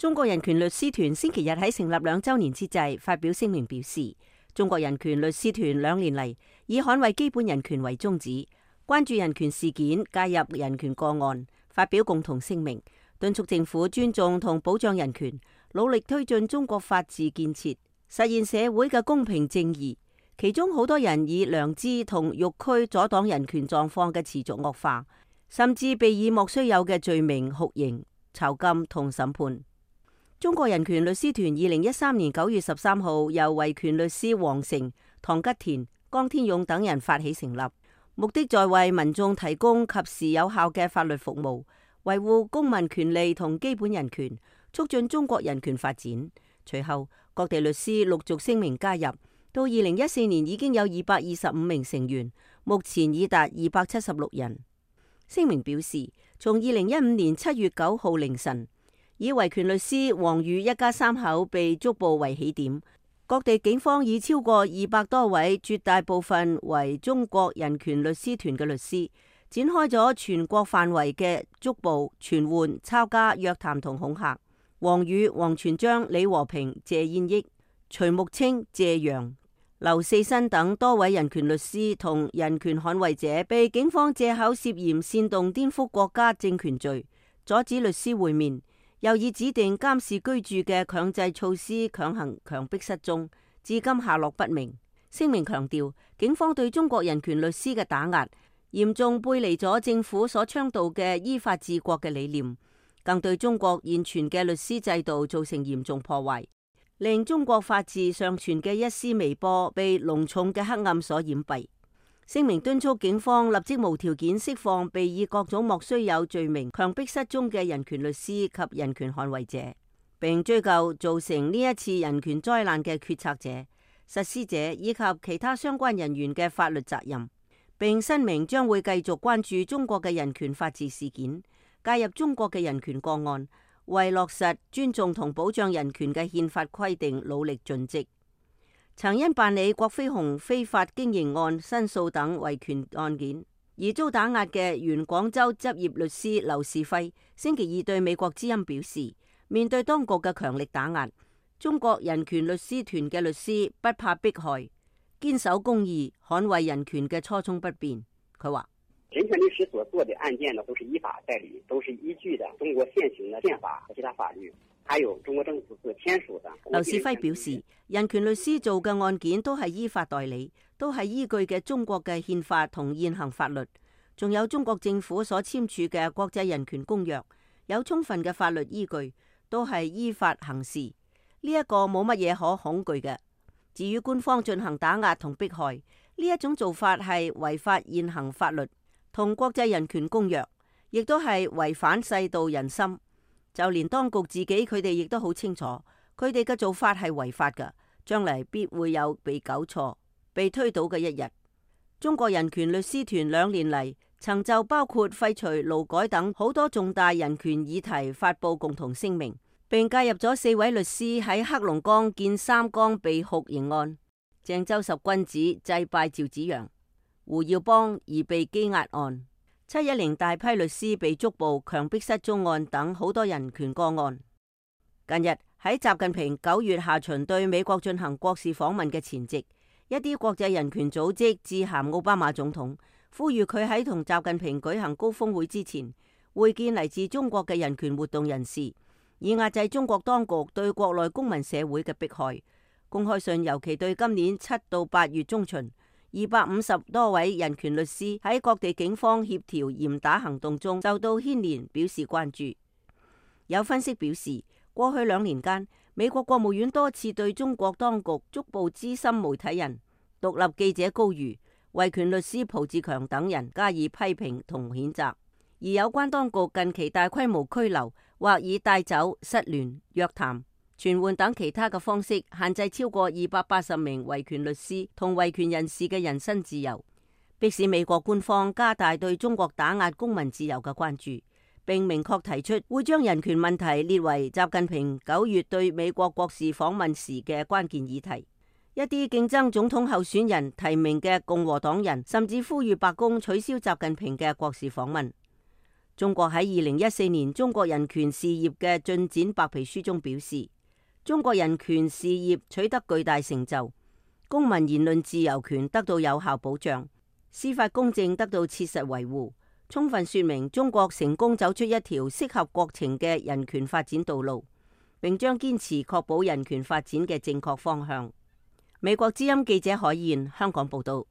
中國人權律師團星期日喺成立2週年之際發表聲明表示，中國人權律師團2年嚟以捍衛基本人權為宗旨，關注人權事件，介入人權個案，發表共同聲明，敦促政府尊重同保障人權，努力推進中國法治建設，實現社會嘅公平正義。其中好多人以良知同欲驅阻擋人權狀況嘅持續惡化，甚至被以莫須有嘅罪名酷刑、囚禁同審判。中國人權律師團2013年9月13號由維權律師黃成、唐吉田、江天勇等人發起成立，目的在為民眾提供及時有效嘅法律服務，維護公民權利同基本人權，促進中國人權發展。隨後，各地律師陸續聲明加入，到2014年已經有225名成員，目前已達276人。聲明表示，從2015年7月9號凌晨，以維權律師黃宇一家3口被捉捕為起點，各地警方已超過200多位，絕大部分為中國人權律師團嘅律師，展開咗全國範圍嘅捉捕、傳喚、抄家、約談同恐嚇。黃宇、王全璋、李和平、謝燕益、徐木清、謝陽、劉四新等多位人權律師同人權捍衛者被警方借口涉嫌煽動顛覆國家政權罪，阻止律師會面，又以指定監視居住嘅強制措施強行強迫失蹤，至今下落不明。聲明強調，警方對中國人權律師嘅打壓嚴重背離咗政府所倡導嘅依法治國嘅理念，更對中國現存嘅律師制度造成嚴重破壞，令中國法治尚存嘅一絲微波被濃重嘅黑暗所掩蔽。聲明敦促警方立即無條件釋放被以各種莫須有罪名強迫失蹤嘅人權律師及人權捍衛者，並追究造成呢一次人權災難嘅決策者、實施者以及其他相關人員嘅法律責任，並申明將會繼續關注中國嘅人權法治事件，介入中國嘅人權個案，為落實尊重同保障人權嘅憲法規定努力盡職。曾因辦理郭飛鴻非法經營案申訴等維權案件而遭打壓嘅原廣州執業律師劉士輝，星期二對美國之音表示，面對當局嘅強力打壓，中國人權律師團嘅律師不怕迫害，堅守公義、捍衛人權嘅初衷不變。佢話：人權律師所做的案件呢，都是依法代理，都是依據的中國現行的憲法和其他法律，還有中國政府所簽署的。劉士輝表示，人權律師做嘅案件都係依法代理，都係依據嘅中國嘅憲法同現行法律，仲有中國政府所簽署嘅國際人權公約，有充分嘅法律依據，都係依法行事。呢一個冇乜嘢可恐懼嘅。至於官方進行打壓同迫害，呢一種做法係違法現行法律同國際人權公約，亦都係違反世道人心。就連當局自己，佢哋亦都好清楚，佢哋嘅做法係違法㗎，將嚟必會有被糾錯、被推倒嘅一日。中國人權律師團2年嚟，曾就包括廢除勞改等好多重大人權議題發布共同聲明，並介入咗4位律師喺黑龍江建三江被酷刑案、鄭州十君子祭拜趙紫陽、胡耀邦而被羈押案、710大批律師被捉捕、強迫失蹤案等好多人權個案。近日喺習近平9月下旬對美國進行國事訪問嘅前夕，一啲國際人權組織致函奧巴馬總統，呼籲佢喺同習近平舉行高峰會之前，會見嚟自中國嘅人權活動人士，以壓制中國當局對國內公民社會嘅迫害。公開信尤其對今年7到8月中旬250多位人權律師喺各地警方協調嚴打行動中受到牽連表示關注。有分析表示，過去2年間，美國國務院多次對中國當局捉捕資深媒體人、獨立記者高瑜、維權律師蒲志強等人加以批評同譴責，而有關當局近期大規模拘留或以帶走、失聯、約談、傳喚等其他嘅方式限制超過280名維權律師同維權人士嘅人身自由，迫使美國官方加大對中國打壓公民自由嘅關注，並明確提出會將人權問題列為習近平9月對美國國事訪問時嘅關鍵議題。一啲競爭總統候選人提名嘅共和黨人甚至呼籲白宮取消習近平嘅國事訪問。中國喺2014年中國人權事業嘅進展白皮書中表示，中國人權事業取得巨大成就，公民言論自由權得到有效保障，司法公正得到切實維護，充分說明中國成功走出一條適合國情嘅人權發展道路，並將堅持確保人權發展嘅正確方向。美國之音記者海燕香港報道。